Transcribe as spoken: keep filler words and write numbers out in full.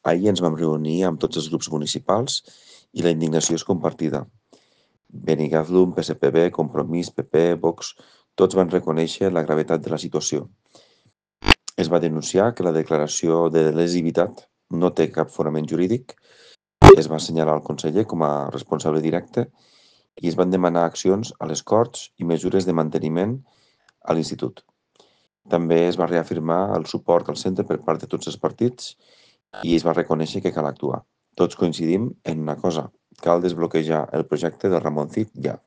Ahir ens vam reunir amb tots els grups municipals i la indignació és compartida. Benigathlum, P S P B, Compromís, P P, Vox, tots van reconèixer la gravetat de la situació. Es va denunciar que la declaració de lesivitat no té cap fonament jurídic, es va assenyalar el conseller com a responsable directe i es van demanar accions a les Corts i mesures de manteniment a l'institut. També es va reafirmar el suport al centre per part de tots els partits i es va reconèixer que cal actuar. Tots coincidim en una cosa, cal desbloquejar el projecte del Ramoncit ja.